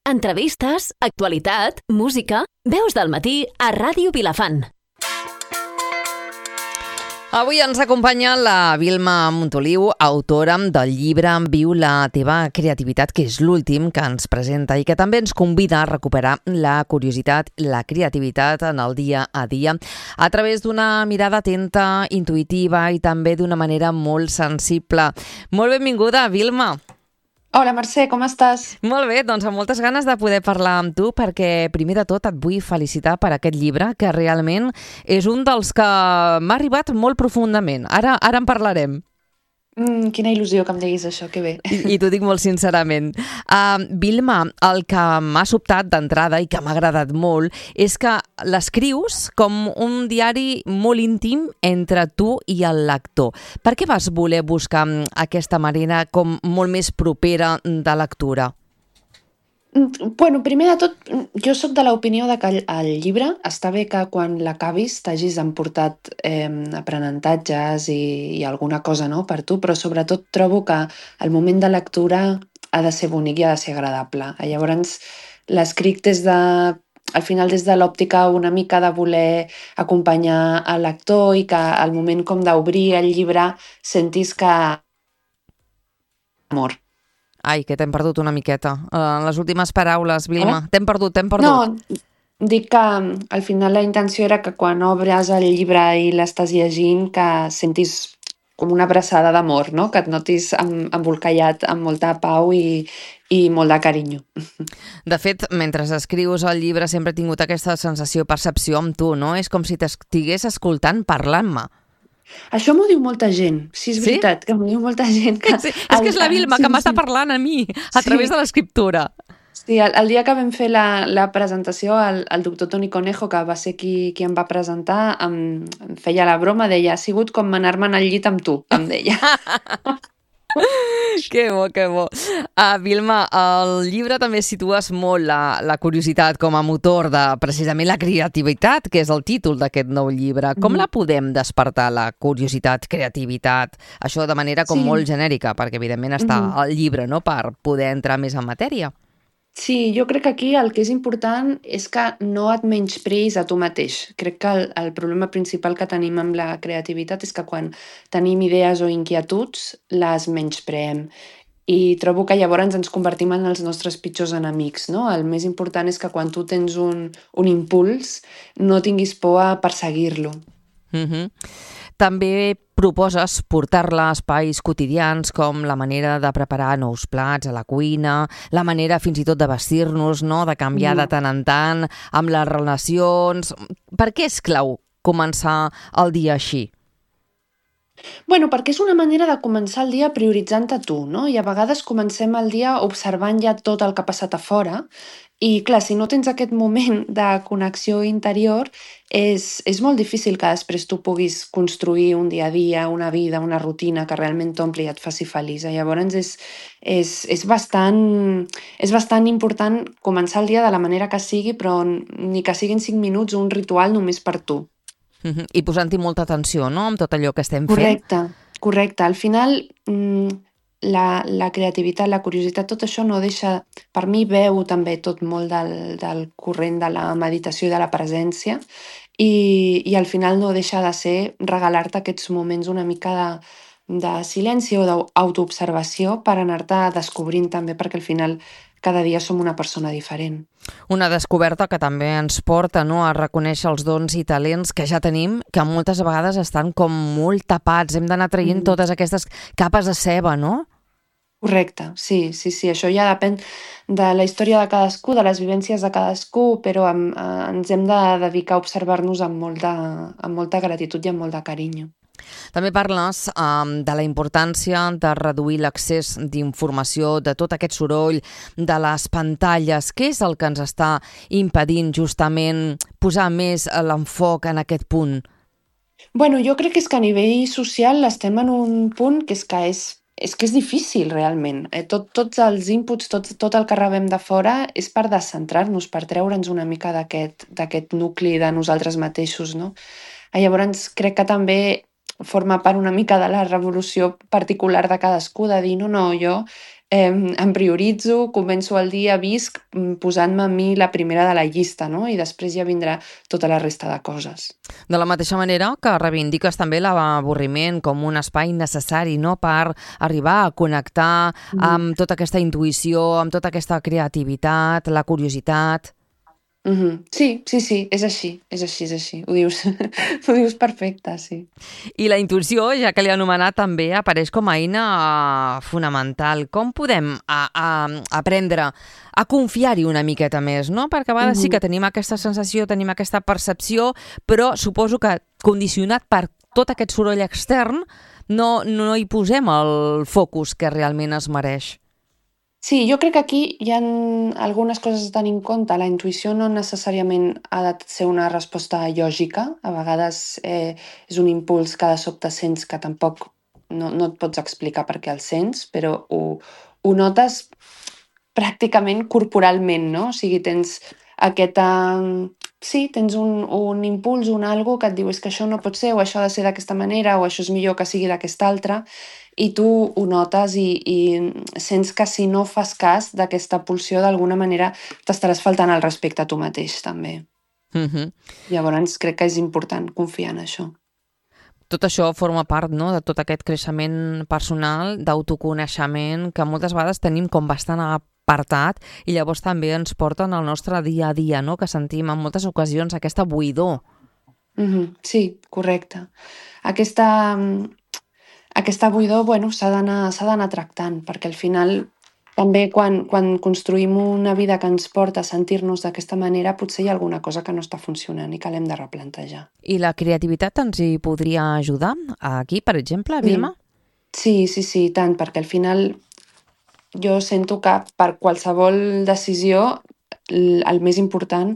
Entrevistes, actualitat, música, veus del matí a Ràdio Vilafant. Avui ens acompanya la Vilma Montoliu, autora del llibre Viu la teva creativitat, que és l'últim que ens presenta i que també ens convida a recuperar la curiositat, la creativitat en el dia a dia a través d'una mirada atenta, intuïtiva i també d'una manera molt sensible. Molt benvinguda, Vilma. Hola, Mercè, com estàs? Molt bé, doncs amb moltes ganes de poder parlar amb tu perquè primer de tot et vull felicitar per aquest llibre que realment és un dels que m'ha arribat molt profundament. Ara en parlarem. Quina il·lusió que em diguis això, que bé. I t'ho dic molt sincerament. Vilma, el que m'ha sobtat d'entrada i que m'ha agradat molt és que l'escrius com un diari molt íntim entre tu i el lector. Per què vas voler buscar aquesta manera com molt més propera de lectura? Bueno, primer de tot, jo sóc de l'opinió de que el llibre està bé que quan l'acabis t'hagis emportat aprenentatges i alguna cosa, no, per tu, però sobretot trobo que el moment de lectura ha de ser bonic i ha de ser agradable. Llavors, l'escric al final des de l'òptica una mica de voler acompanyar el lector i que al moment com d'obrir el llibre sentis que amor. Ai, que t'hem perdut una miqueta. Les últimes paraules, Vilma. T'hem perdut. No, dic que al final la intenció era que quan obres el llibre i l'estàs llegint que sentis com una abraçada d'amor, no? Que et notis embolcallat amb molta pau i molt de carinyo. De fet, mentre escrius el llibre sempre he tingut aquesta sensació, percepció amb tu, no? És com si t'estigués escoltant parlant-me. Això m'ho diu molta gent, sí, és veritat, que m'ho diu molta gent. Sí, és que és la Vilma que m'està parlant a mi, a través de l'escriptura. Sí, el dia que vam fer la presentació, el doctor Toni Conejo, que va ser qui em va presentar, em feia la broma, deia, ha sigut com anar-me'n al llit amb tu, em deia. Que bo, que bo. Vilma, al llibre també situes molt la curiositat com a motor de precisament la creativitat, que és el títol d'aquest nou llibre. Com la podem despertar, la curiositat, creativitat? Això de manera com molt genèrica, perquè evidentment està al llibre, no?, per poder entrar més en matèria. Sí, jo crec que aquí el que és important és que no et menyspreïs a tu mateix. Crec que el problema principal que tenim amb la creativitat és que quan tenim idees o inquietuds les menyspreem. I trobo que llavors ens convertim en els nostres pitjors enemics, no? El més important és que quan tu tens un impuls no tinguis por a perseguir-lo. També proposes portar-la a espais quotidians com la manera de preparar nous plats a la cuina, la manera fins i tot de vestir-nos, no?, de canviar de tant en tant, amb les relacions. Per què és clau començar el dia així? Bueno, perquè és una manera de començar el dia prioritzant-te tu, no? I a vegades comencem el dia observant ja tot el que ha passat a fora i, clar, si no tens aquest moment de connexió interior, és molt difícil que després tu puguis construir un dia a dia, una vida, una rutina que realment t'ompli i et faci feliç. Llavors és bastant important començar el dia de la manera que sigui, però ni que siguin 5 minuts un ritual només per tu. I posant-hi molta atenció, no?, amb tot allò que estem fent. Correcte. Al final, la creativitat, la curiositat, tot això no deixa... Per mi veu també tot molt del corrent de la meditació i de la presència i al final no deixa de ser regalar-te aquests moments una mica de silenci o d'autoobservació per anar-te descobrint també, perquè al final cada dia som una persona diferent. Una descoberta que també ens porta, no?, a reconèixer els dons i talents que ja tenim, que moltes vegades estan com molt tapats. Hem d'anar traient totes aquestes capes de ceba, no? Correcte, sí. Això ja depèn de la història de cadascú, de les vivències de cadascú, però ens hem de dedicar a observar-nos amb molta gratitud i amb molt de carinyo. També parles de la importància de reduir l'accés d'informació, de tot aquest soroll, de les pantalles. Què és el que ens està impedint justament posar més l'enfoc en aquest punt? Bueno, jo crec que és que a nivell social estem en un punt que és difícil realment. Tots els inputs, tot el que rebem de fora és per descentrar-nos, per treure'ns una mica d'aquest nucli de nosaltres mateixos, no? Llavors crec que també forma part una mica de la revolució particular de cadascú, de dir, no, jo em prioritzo, començo el dia, visc posant-me a mi la primera de la llista, no? I després ja vindrà tota la resta de coses. De la mateixa manera que reivindiques també l'avorriment com un espai necessari, no?, per arribar a connectar amb tota aquesta intuïció, amb tota aquesta creativitat, la curiositat. Sí, és així. Ho dius, ho dius perfecte, sí. I la intuïció, ja que l'he anomenat, també apareix com a eina fonamental. Com podem aprendre a confiar-hi una miqueta més, no? Perquè a vegades sí que tenim aquesta sensació, tenim aquesta percepció, però suposo que condicionat per tot aquest soroll extern no hi posem el focus que realment es mereix. Sí, jo crec que aquí hi ha algunes coses a tenir en compte. La intuïció no necessàriament ha de ser una resposta lògica. A vegades és un impuls que de sobte sents que tampoc no et pots explicar per què el sents, però ho notes pràcticament corporalment, no? O sigui, tens aquesta... Sí, tens un impuls, un algo que et diu és que això no pot ser, o això ha de ser d'aquesta manera, o això és millor que sigui d'aquesta altra, i tu ho notes i sents que si no fas cas d'aquesta pulsió, d'alguna manera t'estaràs faltant al respecte a tu mateix, també. Llavors crec que és important confiar en això. Tot això forma part, no?, de tot aquest creixement personal, d'autoconeixement, que moltes vegades tenim com bastant apartat i llavors també ens porten al nostre dia a dia, no?, que sentim en moltes ocasions aquesta buidor. Sí, correcte. Aquesta buidor, bueno, s'ha d'anar tractant, perquè al final també quan construïm una vida que ens porta a sentir-nos d'aquesta manera, potser hi ha alguna cosa que no està funcionant i que l'hem de replantejar. I la creativitat ens hi podria ajudar aquí, per exemple, Vilma? Sí, tant, perquè al final jo sento que per qualsevol decisió el més important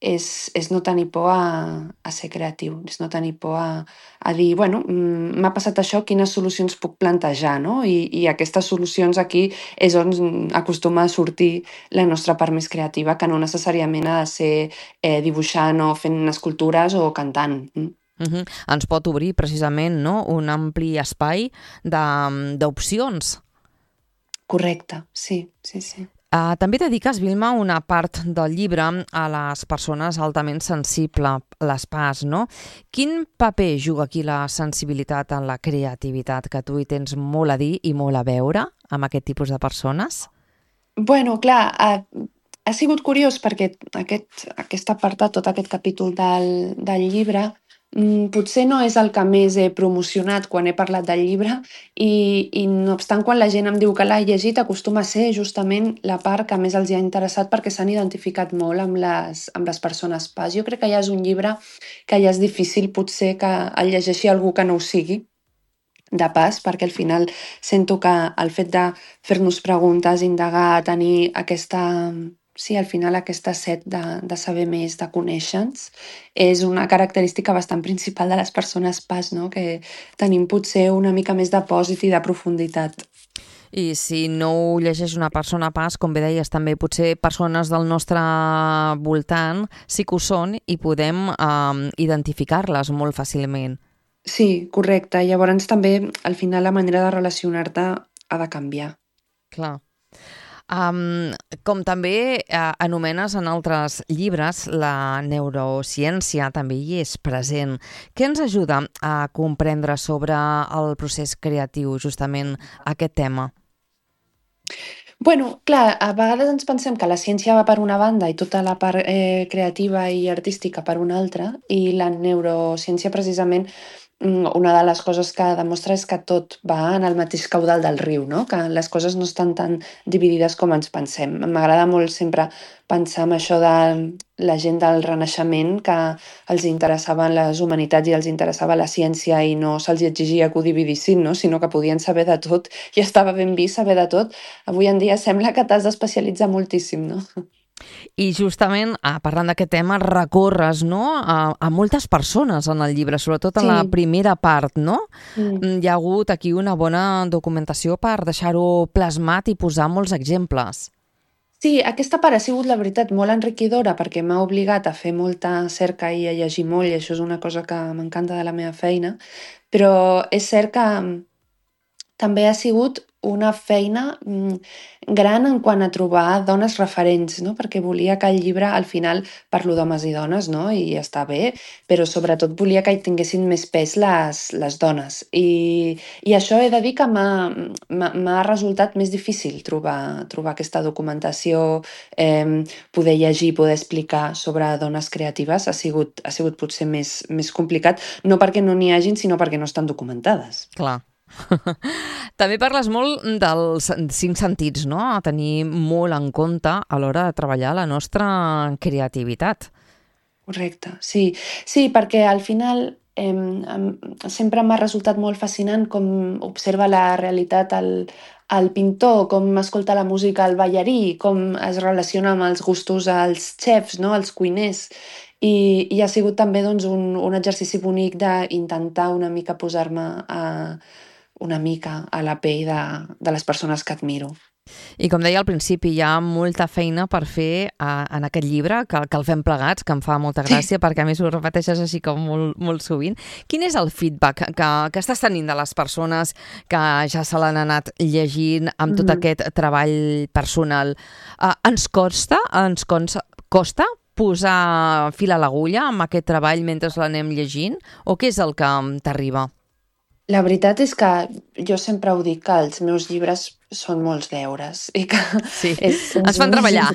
és no tenir por a ser creatiu, és no tenir por a dir, bueno, m'ha passat això, quines solucions puc plantejar, no? I aquestes solucions aquí és on acostuma a sortir la nostra part més creativa, que no necessàriament ha de ser dibuixant o fent escultures o cantant. Ens pot obrir precisament, no?, un ampli espai d'opcions. Correcte, sí. També dediques, Vilma, una part del llibre a les persones altament sensibles, les PAS, no? Quin paper juga aquí la sensibilitat en la creativitat, que tu hi tens molt a dir i molt a veure amb aquest tipus de persones? Bueno, clar, ha sigut curiós perquè aquest apartat, tot aquest capítol del llibre, potser no és el que més he promocionat quan he parlat del llibre i no obstant quan la gent em diu que l'ha llegit acostuma a ser justament la part que més els hi ha interessat perquè s'han identificat molt amb les persones PAS. Jo crec que ja és un llibre que ja és difícil potser que el llegeixi algú que no ho sigui de PAS, perquè al final sento que el fet de fer-nos preguntes, indagar, tenir aquesta... Sí, al final aquesta set de saber més, de conèixer-nos, és una característica bastant principal de les persones PAS, no? Que tenim potser una mica més de pòsit i de profunditat. I si no ho llegeix una persona PAS, com bé deies, també potser persones del nostre voltant sí que ho són i podem identificar-les molt fàcilment. Sí, correcte. Llavors també, al final, la manera de relacionar-te ha de canviar. Clar. Com també anomenes en altres llibres, la neurociència també hi és present. Què ens ajuda a comprendre sobre el procés creatiu, justament aquest tema? Bueno, clar, a vegades ens pensem que la ciència va per una banda i tota la part creativa i artística per una altra, i la neurociència precisament una de les coses que demostra és que tot va en el mateix caudal del riu, no? Que les coses no estan tan dividides com ens pensem. M'agrada molt sempre pensar en això de la gent del Renaixement, que els interessaven les humanitats i els interessava la ciència i no se'ls exigia que ho dividissin, no? Sinó que podien saber de tot i estava ben vist saber de tot. Avui en dia sembla que t'has d'especialitzar moltíssim, no? I justament, parlant d'aquest tema, recorres, no?, a moltes persones en el llibre, sobretot en la primera part, no? Hi ha hagut aquí una bona documentació per deixar-ho plasmat i posar molts exemples. Sí, aquesta part ha sigut, la veritat, molt enriquidora perquè m'ha obligat a fer molta cerca i a llegir molt, i això és una cosa que m'encanta de la meva feina, però és cert que també ha sigut una feina gran en quant a trobar dones referents, no? Perquè volia que el llibre, al final, parlo d'homes i dones, no? I està bé, però sobretot volia que hi tinguessin més pes les dones. I això he de dir que m'ha resultat més difícil trobar aquesta documentació, poder llegir, poder explicar sobre dones creatives ha sigut potser més complicat, no perquè no n'hi hagin, sinó perquè no estan documentades. Clar. També parles molt dels 5 sentits, no? A tenir molt en compte a l'hora de treballar la nostra creativitat. Correcte, sí. Sí, perquè al final sempre m'ha resultat molt fascinant com observa la realitat el pintor, com escolta la música el ballarí, com es relaciona amb els gustos els xefs, no? Els cuiners. I ha sigut també doncs, un exercici bonic d'intentar una mica posar-me una mica a la pell de les persones que admiro. I com deia al principi, hi ha molta feina per fer en aquest llibre, que el fem plegats, que em fa molta gràcia, perquè a més ho repeteixes així com molt, molt sovint. Quin és el feedback que estàs tenint de les persones que ja se l'han anat llegint amb tot aquest treball personal? Ens costa posar fil a l'agulla amb aquest treball mentre l'anem llegint? O què és el que t'arriba? La veritat és que jo sempre ho dic, que els meus llibres són molts deures. I que sí, ens fan treballar.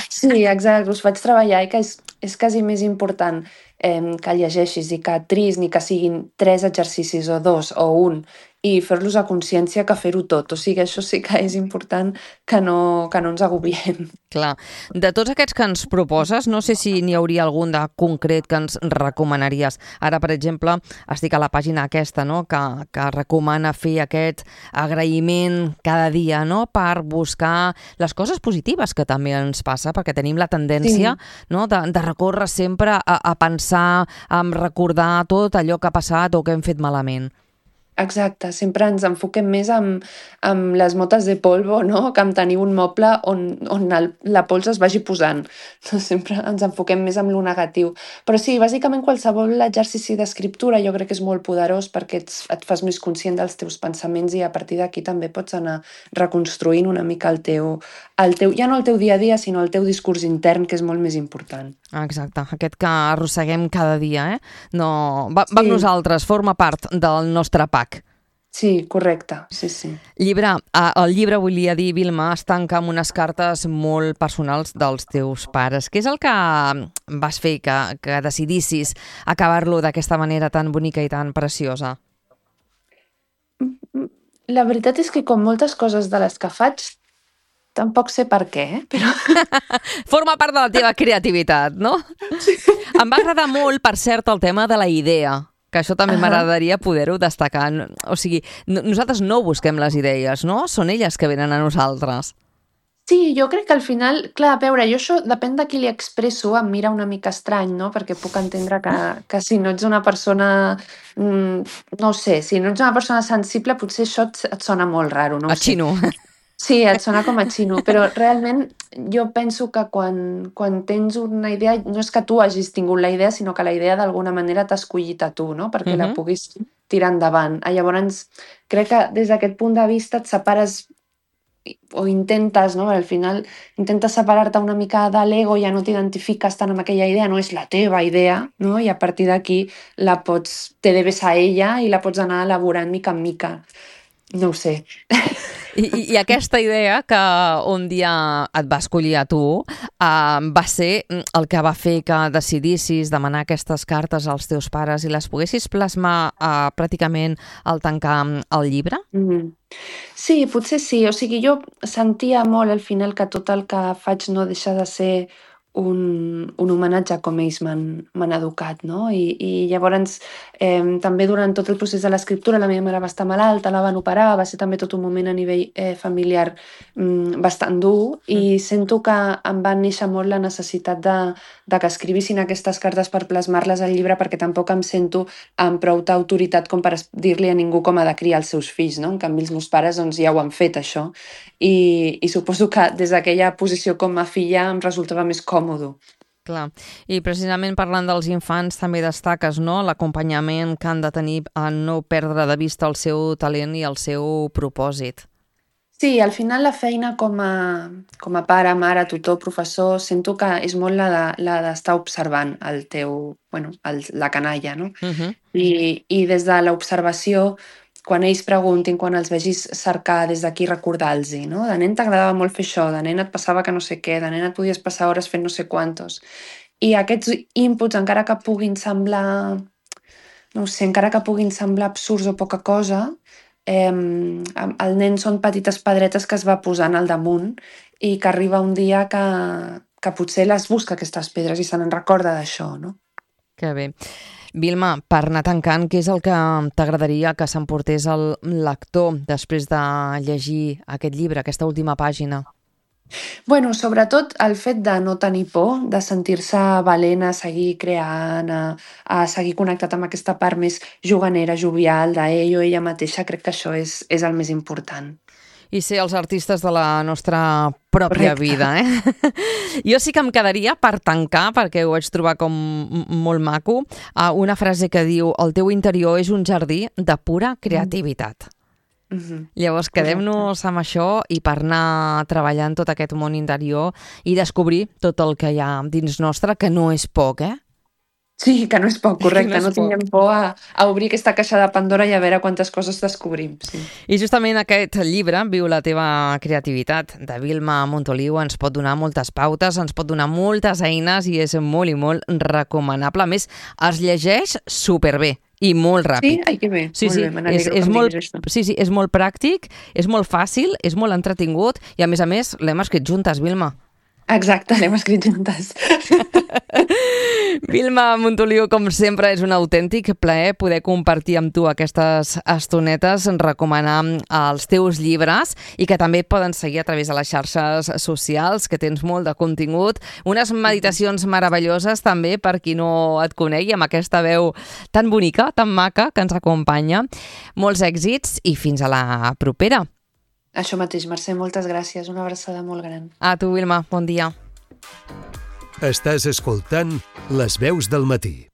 Sí, exacte, us faig treballar i que és quasi més important que llegeixis i que triïs ni que siguin 3 exercicis o 2 o 1 i fer-los a consciència que fer-ho tot. O sigui, això sí que és important que no ens agobiem. Clar. De tots aquests que ens proposes, no sé si n'hi hauria algun de concret que ens recomanaries. Ara, per exemple, estic a la pàgina aquesta, no?, que recomana fer aquest agraïment cada dia, no?, per buscar les coses positives que també ens passa, perquè tenim la tendència, no?, de recórrer sempre a pensar, a recordar tot allò que ha passat o que hem fet malament. Exacte, sempre ens enfoquem més amb les motes de polvo, no? Que amb tenir un moble on la pols es vagi posant. Sempre ens enfoquem més amb lo negatiu. Però sí, bàsicament qualsevol exercici d'escriptura jo crec que és molt poderós perquè et fas més conscient dels teus pensaments i a partir d'aquí també pots anar reconstruint una mica el teu, ja no el teu dia a dia, sinó el teu discurs intern, que és molt més important. Exacte, aquest que arrosseguem cada dia, No, va amb nosaltres, forma part del nostre pack. Sí, correcte, sí. El llibre, volia dir, Vilma, es tanca amb unes cartes molt personals dels teus pares. Què és el que vas fer que decidissis acabar-lo d'aquesta manera tan bonica i tan preciosa? La veritat és que com moltes coses de les que faig, tampoc sé per què, però... Forma part de la teva creativitat, no? Sí. Em va agradar molt, per cert, el tema de la idea, que això també m'agradaria poder-ho destacar. O sigui, nosaltres no busquem les idees, no? Són elles que venen a nosaltres. Sí, jo crec que al final, clar, a veure, jo això depèn de qui li expresso, em mira una mica estrany, no? Perquè puc entendre que si no ets una persona, no sé, si no ets una persona sensible, potser això et sona molt raro, no? A xino. Sí, et sona com a xino, però realment jo penso que quan tens una idea, no és que tu hagis tingut la idea, sinó que la idea d'alguna manera t'ha escollit a tu, no? Perquè la puguis tirar endavant. Llavors, crec que des d'aquest punt de vista et separes o intentes, no? Al final intentes separar-te una mica de l'ego, ja no t'identifiques tant amb aquella idea, no és la teva idea, no? I a partir d'aquí te debes a ella i la pots anar elaborant mica en mica. No ho sé. I aquesta idea que un dia et va escollir a tu va ser el que va fer que decidissis demanar aquestes cartes als teus pares i les poguessis plasmar pràcticament al tancar el llibre? Sí, potser sí. O sigui, jo sentia molt al final que tot el que faig no deixa de ser un homenatge a com ells m'han educat, no? I llavors també durant tot el procés de l'escriptura la meva mare va estar malalta, la van operar, va ser també tot un moment a nivell familiar bastant dur i sento que em va néixer molt la necessitat de que escrivissin aquestes cartes per plasmar-les al llibre perquè tampoc em sento amb prou autoritat com per dir-li a ningú com ha de criar els seus fills, no? En canvi els meus pares doncs, ja ho han fet això i suposo que des d'aquella posició com a filla em resultava més còmode. Clar, i precisament parlant dels infants també destaques, no?, l'acompanyament que han de tenir a no perdre de vista el seu talent i el seu propòsit. Sí, al final la feina com a pare, mare, tutor, professor, sento que és molt la d'estar observant el teu, bueno, la canalla, no? Mhm. I des de l'observació, quan ells preguntin, quan els vegis cercar des d'aquí, recordar-los, no? De nen t'agradava molt fer això, de nen et passava que no sé què, de nen et podies passar hores fent no sé quantos. I aquests inputs, encara que puguin semblar, no ho sé, encara que puguin semblar absurds o poca cosa, el nen són petites pedretes que es va posant al damunt i que arriba un dia que potser les busca aquestes pedres i se n'en recorda d'això, no? Que bé. Vilma, per anar tancant, què és el que t'agradaria que s'emportés el lector després de llegir aquest llibre, aquesta última pàgina? Bueno, sobretot el fet de no tenir por, de sentir-se valent a seguir creant, a seguir connectat amb aquesta part més juganera, jovial d'ell o ella mateixa, crec que això és el més important. I ser els artistes de la nostra pròpia Correcte. vida, Jo sí que em quedaria, per tancar, perquè ho vaig trobar com molt maco, una frase que diu: el teu interior és un jardí de pura creativitat. Mhm. Llavors, quedem-nos amb això i per anar treballant tot aquest món interior i descobrir tot el que hi ha dins nostre, que no és poc, Sí, que no és poc, Que no correcte. és No poc. tinguem por a obrir aquesta caixa de Pandora i a veure quantes coses descobrim. Sí. I justament aquest llibre, Viu la teva creativitat, de Vilma Montoliu, ens pot donar moltes pautes, ens pot donar moltes eines i és molt i molt recomanable. A més, es llegeix superbé i molt ràpid. Sí? Ai, que bé. Sí, Molt sí, bé, me n'alegro que és em molt, diguis això. sí, és molt pràctic, és molt fàcil, és molt entretingut i a més l'hem escrit juntes, Vilma. Exacte, l'hem escrit juntes. Vilma Montoliu, com sempre, és un autèntic plaer poder compartir amb tu aquestes estonetes, recomanar els teus llibres i que també et poden seguir a través de les xarxes socials, que tens molt de contingut. Unes meditacions meravelloses també per qui no et conegui, amb aquesta veu tan bonica, tan maca, que ens acompanya. Molts èxits i fins a la propera. Això mateix, Mercè, moltes gràcies. Una abraçada molt gran. A tu, Vilma, bon dia. Estàs escoltant Les veus del matí.